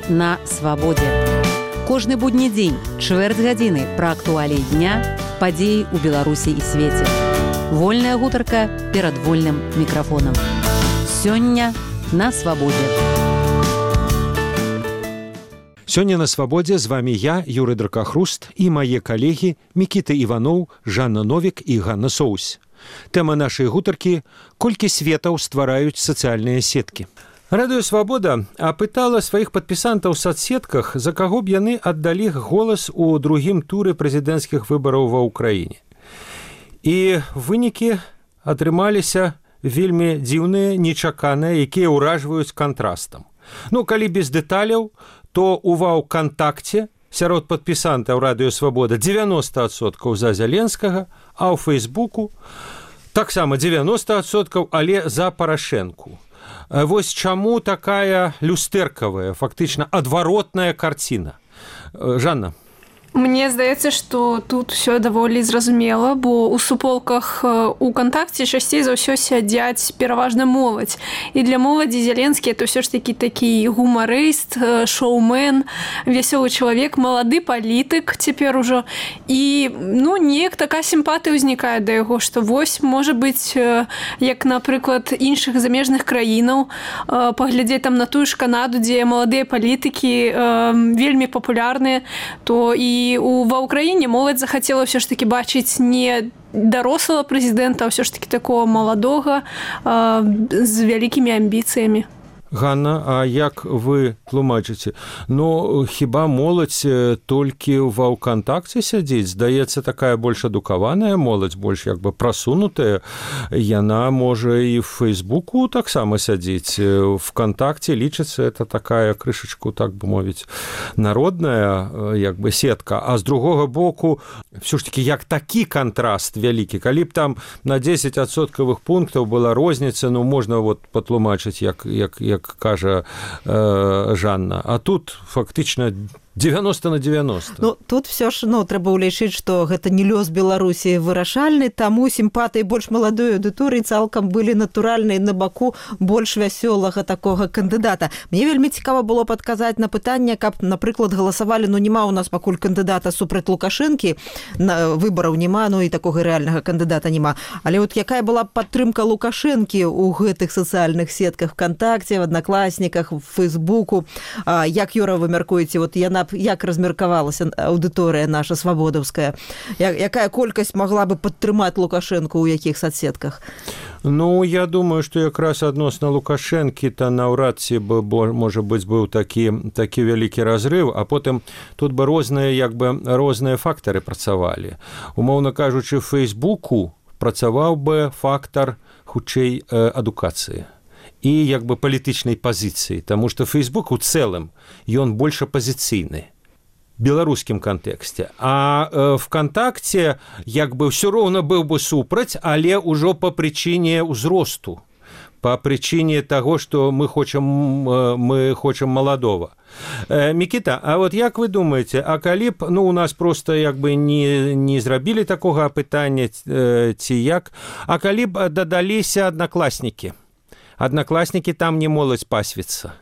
Сёння на свабодзе. Кожны будні дзень, чвэрць гадзіны пра актуаліі дня, падзеі ў Беларусі і свеце. Вольная гутарка перад вольным мікрафонам. Сёння на свабодзе. Сёння на свабодзе з вами я, Юрый Дракахруст, і мае калегі Мікіта Іваноў, Жанна Новік і Ганна Соусь. Тэма нашай гутаркі – колькі светаў ствараюць сацыяльныя сеткі. Радыё «Свабода» апытала сваіх падпісантаў у соцсетках, за каго б яны аддалі голас у другім туры прэзідэнцкіх выбараў ва ўкраіне. І вынікі атрымаліся вельмі дзіўныя, нечаканыя, якія ўражваюць кантрастам. Калі без дэталяў, то у ВКонтакце сярод падпісантаў радыё «Свабода» 90% за Зяленскага, а ў Фейсбуку таксама 90%, але за Парашэнку. Вось чаму такая люстэркавая, фактычна адваротная карціна. Жанна. Мне здаецца, што тут усё даволі зразумела, бо ў суполках у кантакце часцей за ўсё сядзяць пераважна моладзь. І для моладзі Зеленскі это ўсё ж такі такі гумарыст, шоумен, вясёлы чалавек, малады палітык цяпер ужо. І неяк такая сімпатыя ўзнікае да яго, што вось, можа быць, як, напрыклад, іншых замежных краінаў, паглядзець там на тую ж Канаду, дзе маладыя палітыкі вельмі папулярныя, то і ва ўкраіне моладзь захацела ўсё ж такі бачыць не дарослага прэзідэнта, а ўсё ж такі такого маладога з вялікімі амбіцыямі. Ганна, а як вы тлумачыце? Хіба моладзь толькі ва ВКонтакце сядзіць? Здаецца, такая больш адукаваная моладзь, больш прасунутая. Яна можа і в Фейсбуку таксама сядзіць. ВКонтакце лічыцца, это такая крышачку, так бы мовіць, народная сетка. А з другога боку, все ж таки, як такі кантраст вялікі. Калі б там на 10% пунктаў была розніца, можна патлумачыць, як кажа Жанна. А тут фактычна 90/90. Тут все ж трэба ўлічыць, што гэта не лёс Беларусі вырашальны, таму сімпатыі больш маладой аўдыторыі цалкам былі натуральныя на баку больш вясёлага такога кандыдата. Мне вельмі цікава было падказаць на пытанне, каб, напрыклад, галасавалі, няма ў нас пакуль кандыдата супраць Лукашэнкі, выбараў няма, і такога рэальнага кандыдата няма. Але якая была падтрымка Лукашэнкі ў гэтых сацыяльных сетках ВКонтакце, в Аднакласніках, в Фейсбуку? Як, Юра, вы мяркуеце, яна як размеркавалася аўдыторыя наша свабодаўская? Якая колькасць магла бы падтрымаць Лукашэнку ў якіх соцсетках? Я думаю, што якраз адносна Лукашэнкі-то наўрад ці бы, можа быць, быў такі вялікі разрыв, а потым тут бы розныя фактары працавалі. Умоўна кажучы, в Фейсбуку працаваў бы фактар хутчэй адукацыі і палітычнай пазіцыі, таму што Фейсбук у цэлым ён больш апазіцыйны в беларускім кантэксце. А ВКонтакце ўсё роўна быў бы супраць, але ўжо па прычыне ўзросту, па прычыне таго, што мы хочам маладога. Мікіта, а як вы думаеце, а калі б у нас просто не зрабілі такога апытання ці як, а калі б дадаліся аднакласнікі? Аднакласнікі там не моладзь пасвіцца.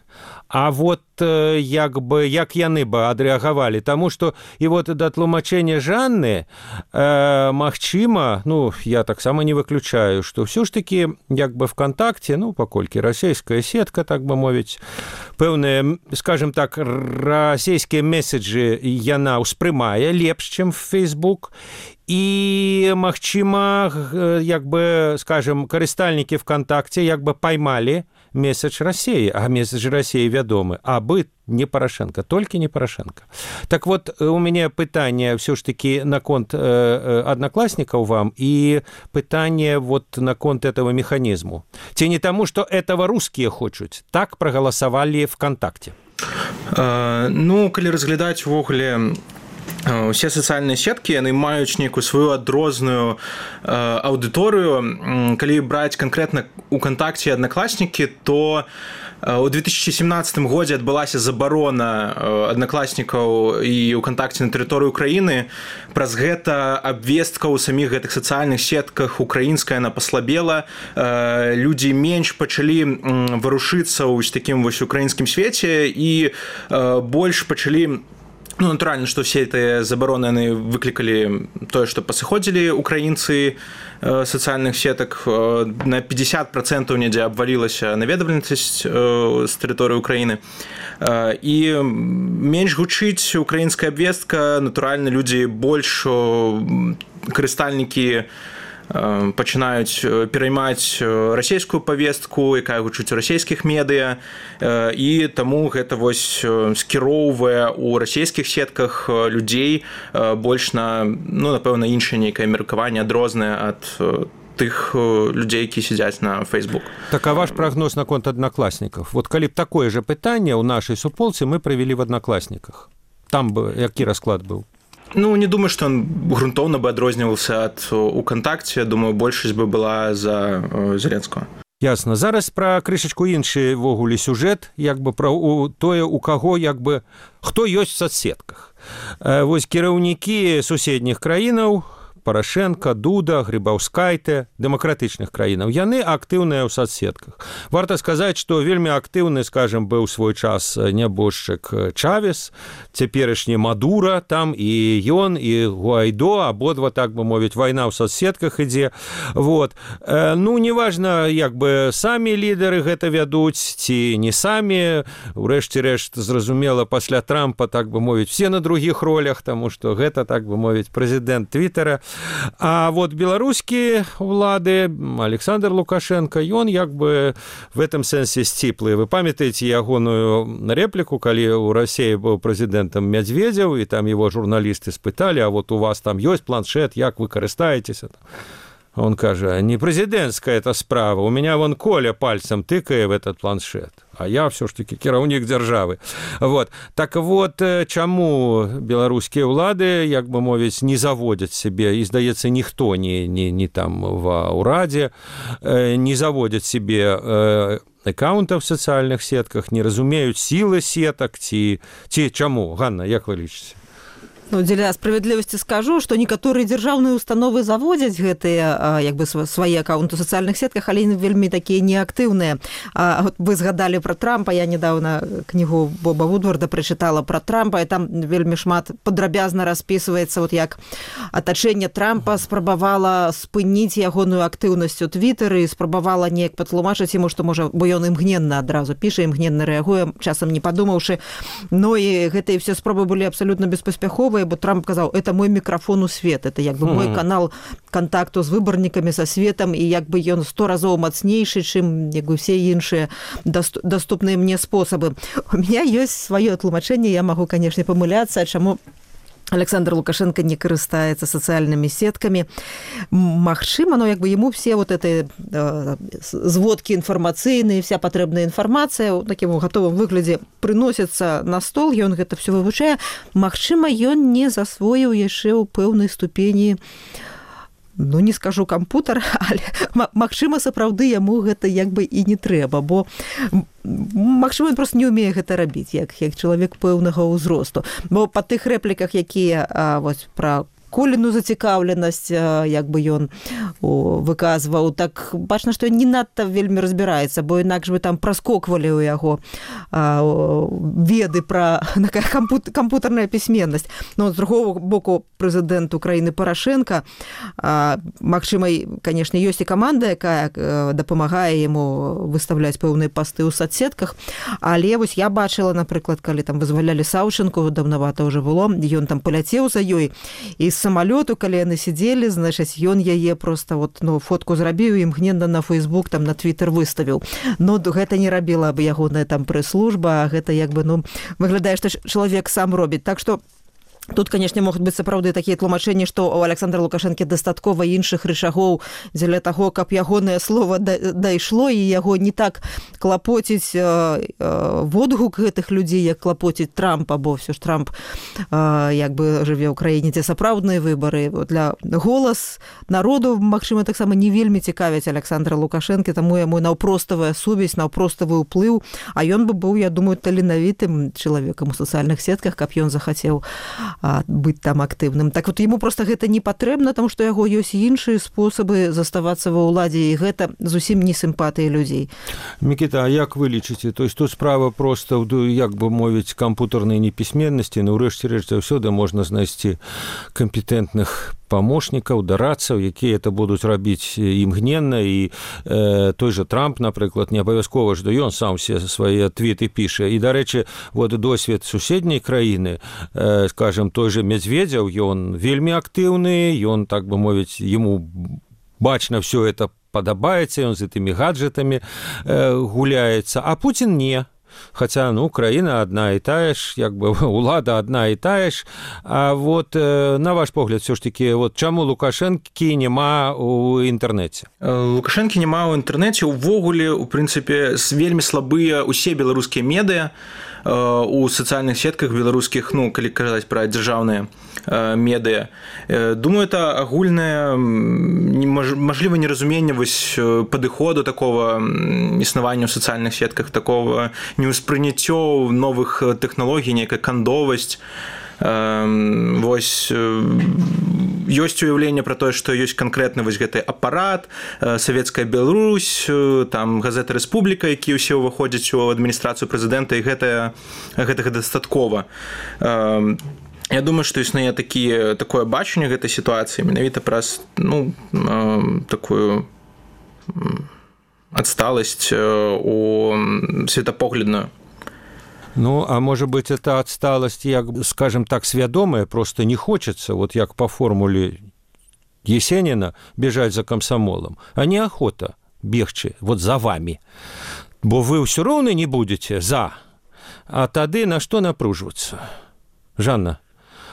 А як яны бы адрэагавалі? Таму што і да тлумачэння Жанны, магчыма, я таксама не выключаю, што ўсё ж такі ВКонтакце, паколькі расійская сетка, так бы мовіць, пэўныя, скажем так, расійскія меседжы яна ўспрымае лепш, чым Фейсбук. І, магчыма, скажем, карыстальнікі ВКонтакце паймалі месседж России, а месседж России вядомы, абы не Порошенко, толькі не Порошенко. Так у мяне пытанне все ж таки наконт одноклассников вам и пытанне наконт этого механизму. Ці не тому, что этого русские хочуць, так проголосовали ВКонтакте? Калі разглядаць увогуле Усе сацыяльныя сеткі яны маюць нейкую сваю адрозную аўдыторыю. Калі браць канкрэтна УКонтакце і Аднакласнікі, то у 2017 годзе адбылася забарона аднакласнікаў і УКонтакце на тэрыторыі Украіны. Праз гэта абвестка ў саміх гэтых сацыяльных сетках украінская она паслабела. Людзі менш пачалі варушыцца ў такім вось украінскім свеце і больш пачалі. Ну, натуральна, што все гэтыя забароны яны выклікалі тое, што пасыходзілі украінцы сацыяльных сетак. На 50% недзе абвалілася наведвальнасць з тэрыторыі Украіны. І менш гучыць украінская абвестка, натуральна, людзі больш карыстальнікі пачынаюць пераймаць расійскую павестку, якая гучыць у расійскіх медыа, і таму гэта вось скіроўвае ў расійскіх сетках людзей больш на, ну, напэўна, іншае нейкае меркаванне адрознае ад тых людзей, які сядзяць на Facebook. Так, а ваш прагноз наконт Аднакласнікаў? Вот калі б такое же пытанне ў нашай суполцы мы правялі в Аднакласніках, там бы які расклад быў? Ну, не думаю, што он грунтоўна бы адрозніваўся ад УКонтакце. Думаю, большасць бы была за Зеленскага. Ясна. Зараз пра крышачку іншы ввогуле сюжэт, як бы пра тое, у каго, як бы, хто ёсць в соцсетках. Вось кіраўнікі суседніх краінаў, Парашенко, Дуда, Грибаўскайте, дэмакратычных краінаў, яны актыўныя ў соцсетках. Варта сказаць, што вельмі актыўны, скажем, быў свой час нябожчык Чавес, цяперашні Мадура, там і ён, і Гуайдо, абодва, так бы мовіць, вайна ў соцсетках ідзе. Вот. Ну, неважна, як бы самі лідары гэта вядуць, ці не самі. Урэшце рэшт, зразумела, пасля Трампа, так бы мовіць, все на другіх ролях, таму што гэта, так бы мовіць, прэзідэнт Твиттера. А вот беларускія ўлады, Александр Лукашенко, ён як бы в этом сэнсе сціплы. Вы памятаеце ягоную рэпліку, калі ў Расіі быў прэзідэнтам Медведзеў, і там его журналісты спыталі, а вот у вас там ёсць планшет, як вы карыстаецеся? Он кажа, не прэзідэнцкая эта справа, у меня вон Коля пальцем тыкае в этот планшет, а я все ж таки кіраўнік дзяржавы. Вот. Так вот, чаму беларускія ўлады, як бы мовіць, не заводзяць себе, і, здаецца, ніхто не там ва ўрадзе, не заводзяць себе аккаунтаў в сацыяльных сетках, не разумеюць сілы сетак, ці чаму? Ганна, як вы лічыце? Ну, дзеля справядлівасці скажу, што некаторыя дзяржаўныя установы заводзяць гэтыя як бы свае аккаунты ў сацыяльных сетках, але вельмі такія неактыўныя. Вот вы згадалі пра Трампа, я недавно кнігу Боба Вудварда прачытала пра Трампа, і там вельмі шмат падрабязна распісваецца, вот як атачэнне Трампа спрабавала спыніць ягоную актыўнасць у Твиттэры, спрабавала неяк патлумачыць яму, што можа, бо ён імгненна адразу піша, імгненна рэагуе, часам не падумаўшы. Ну і гэтыя все спробы былі абсалютна беспаспяховыя, бо Трамп казаў, это мой мікрафон у свет, это як бы мой канал контакту з выбарнікамі са светам, і як бы ён 100 разоў мацнейшы, чым як бы все іншыя доступныя мне спосабы. У меня ёсць сваё тлумачэнне, я магу, канешне, памыляцца, чаму Александр Лукашенко не карыстаецца сацыяльнымі сеткамі. Магчыма, но як бы ему все вот эти зводкі інфармацыйныя, вся патрэбная інфармацыя ў такім гатовым выглядзе прыносіцца на стол, ён гэта все вывучае. Магчыма, ён не засвоіў яшчэ ў пэўнай ступені, ну, не скажу кампутар, але магчыма, сапраўды яму гэта як бы і не трэба, бо магчыма, ён просто не ўмее гэта рабіць, як чалавек пэўнага ўзросту. Бо па тых рэпліках, якія вось пра Коліну зацікаўленасць, як бы ён выказваў, так бачна, што не надта вельмі разбіраецца, бо інакш бы там праскоквалі ў яго веды пра кампутарная пісьменнасць. Но з другого боку, прэзідэнт Украіны Парашенко, магчыма, канешне, ёсць і каманда, якая дапамагае яму выставляць пэўныя пасты ў соцсетках, але вось я бачыла, напрыклад, калі там вызвалялі Саўчынку, даўнавата ўжо было, ён там паляцеў за ёй, і самолету, калі яны сидзелі, значыць, ён яе просто вот, ну, фотку зрабіў і імгненна на Facebook, там на Twitter выставіў. Но гэта не рабіла бы ягоная там прэс-служба, гэта як бы, ну, выглядае, што чалавек сам робіць. Так што Тут, конечно, могуць быць сапраўды такія тлумачэнні, што у Александра Лукашэнкі дастаткова іншых рычагоў дзеля таго, каб ягонае слово дайшло і яго не так клапоціць водгук гэтых людзей, як клапоціць Трамп, або ўсё ж Трамп як бы жыве ў краіне, дзе сапраўдныя выбары. Для голас народу, магчыма, таксама не вельмі цікавяць Александра Лукашэнкі, таму яму наўпроставая сувязь, наўпроставы ўплыў, а ён бы быў, я думаю, таленавітым чалавекам у сацыяльных сетках, каб ён захацеў быць там актыўным. Так вот, яму просто гэта не патрэбна, таму што яго ёсць іншыя спосабы заставацца ва ўладзе, і гэта зусім не сімпатыі людзей. Мікіта, а як вы лічыце? То есть тут справа просто, як бы мовіць, кампутарнай непісьменнасці, но ўрэшце рэч заўсёды можна знайсці кампетэнтных памочнікаў, дарадцаў, якія это будуць рабіць імгненна, і той же Трамп, напрыклад, не абавязкова, што ён сам все свае твіты піша. І, дарэчы, вот досвед суседняй краіны, скажем, той же Медведзеў, ён вельмі актыўны, ён, так бы мовіць, яму бачна все это падабаецца, ён з гэтымі гаджетамі гуляецца, а Путін не. Хотя, ну, краіна одна і тая ж, як бы улада одна і тая ж. А вот, на ваш погляд, все ж таки, вот чаму Лукашэнкі нема у інтэрнэце? Лукашэнкі нема ў інтэрнэце. Увогуле, у прынцыпе, вельмі слабыя усе беларускія медыа у сацыяльных сетках беларускіх, ну, калі казаць пра дзяржаўныя медыа. Думаю, это агульнае, мажліва, неразуменне вось падыходу такого існавання ў сацыяльных сетках, такого неўспрыняццё новых тэхналогій, нейкая кандовасць. Вось ёсць уяўленне пра тое, што ёсць канкрэтна вось гэты апарат, савецкая Беларусь, там газета Рэспубліка, якія ўсе ўваходзяць у адміністрацыю прэзідэнта, і гэтага дастаткова. Я думаю, што існуе такое бачанне гэтай сітуацыі менавіта праз, ну, такую адсталасць у светапоглядную. Ну, а может быть, это отсталость, як, скажем так, свядомая, просто не хочется, вот як по формуле Есенина, бежать за комсомолом, а неохота бегчы вот за вами. Бо вы все равно не будете за, а тады на что напруживаться? Жанна?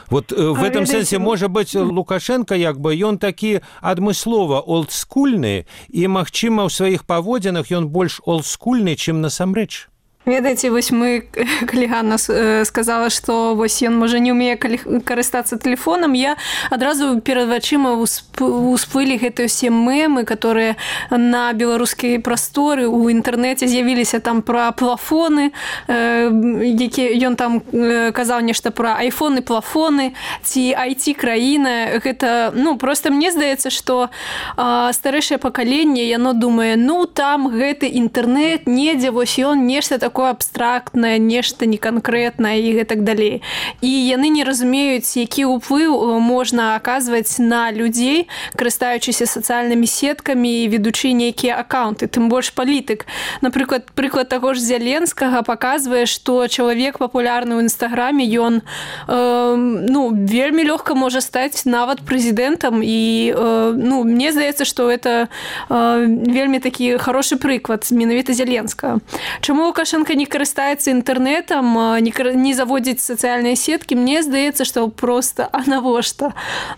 Вот в этом сэнсе, может быть, Лукашенко, як бы, ён такі адмыслова олдскульны, і, магчыма, ў сваіх паводзінах ён больш олдскульны, чым насамрэч. Ведаеце, вось мы, калі Ганна сказала, што вось ён можа не ўмее карыстацца тэлефонам, я адразу перад вачыма усплылі гэтыя ўсе мемы, которые на беларускай прасторы ў інтэрнэце з'явіліся там пра плафоны, які ён там казаў нешта пра айфоны, плафоны, ці IT-краіна. Гэта, ну, просто мне здаецца, што старэйшае пакаленне, яно думае, ну, там гэты інтэрнэт, недзе, вось ён нешта такое абстрактнае, нешта неканкрэтнае і гэтак далей. І яны не разумеюць, які ўплыў можна аказваць на людзей, карыстаючыся сацыяльнымі сеткамі і ведучы нейкія акаунты, тым больш палітык. Напрыклад, прыклад таго ж Зяленскага паказвае, што чалавек папулярны ў Інстаграме, ён вельмі лёгка можа стаць нават прэзідэнтам, і мне здаецца, што это вельмі такі хорошы прыклад менавіта Зяленскага. Чаму Лукашенко не карыстаецца інтэрнэтам, не заводзіць сацыяльныя сеткі, мне здаецца, што проста, а навошта?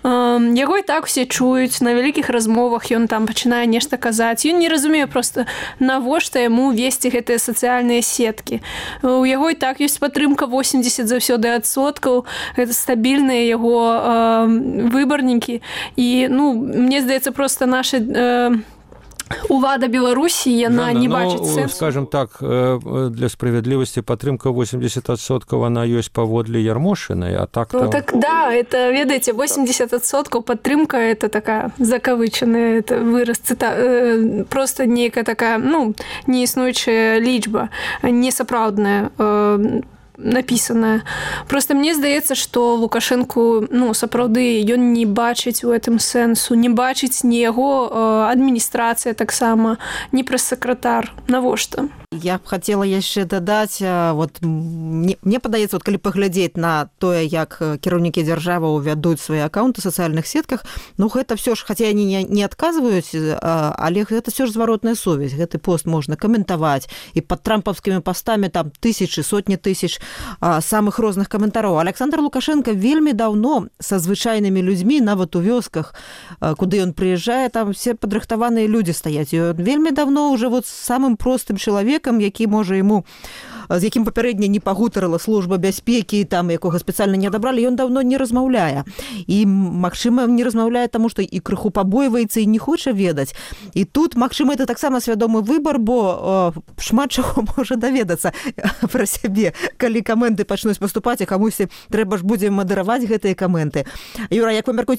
Яго і так усе чуюць, на вялікіх размовах ён там пачынае нешта казаць. Ён не разумее проста, навошта яму весці гэтыя сацыяльныя сеткі. У яго і так ёсць падтрымка 80% заўсёды адсоткаў, гэта стабільныя яго выбарнікі. І, мне здаецца, проста наша улада Беларусі, яна не бачыць сэнсу. Скажем так, для справядлівасці падтрымка 80% она ёсць паводле Ярмошынай, а так... Так, да, это, ведаеце, 80% падтрымка, это такая закавычаная, это выраз, просто нейкая такая, неіснуючая лічба, несапраўдная, напісаная. Просто мне здаецца, што Лукашэнку, сапраўды, ён не бачыць у гэтым сэнсу, не бачыць ні яго адміністрацыя таксама, ні прэс-сакратар. Навошта? Я б хацела яшчэ дадаць, вот мне падаецца, вот калі паглядзець на тое, як кіраўнікі дзяржавы ўвядуць свае акаунты ў сацыяльных сетках, ну гэта все ж, хаця яны не адказваюць, але гэта все ж зваротная сувязь. Гэты пост можна каментаваць, і пад трампаўскімі пастамі там тысячы, сотні тысяч самых розных каментароў. Александр Лукашенко вельмі даўно са звычайнымі людзьмі, нават у вёсках, куды ён прыязджае, там все падрыхтаваныя людзі стаяць. І ён вельмі даўно уже вот самым простым чалавекам, які можа яму, з якім папярэдне не пагутарыла служба бяспекі, там якога спецыяльна не адабралі, ён даўно не размаўляе. І, магчыма, не размаўляе таму, што і крыху пабойваецца і не хоча ведаць. І тут, магчыма, это таксама свядомы выбар, бо шмат чаго можа даведацца пра сябе, калі каменты пачнуць паступаць, а камусьці трэба ж будзе мадэраваць гэтыя каменты. Юра, як вы мяркуеце,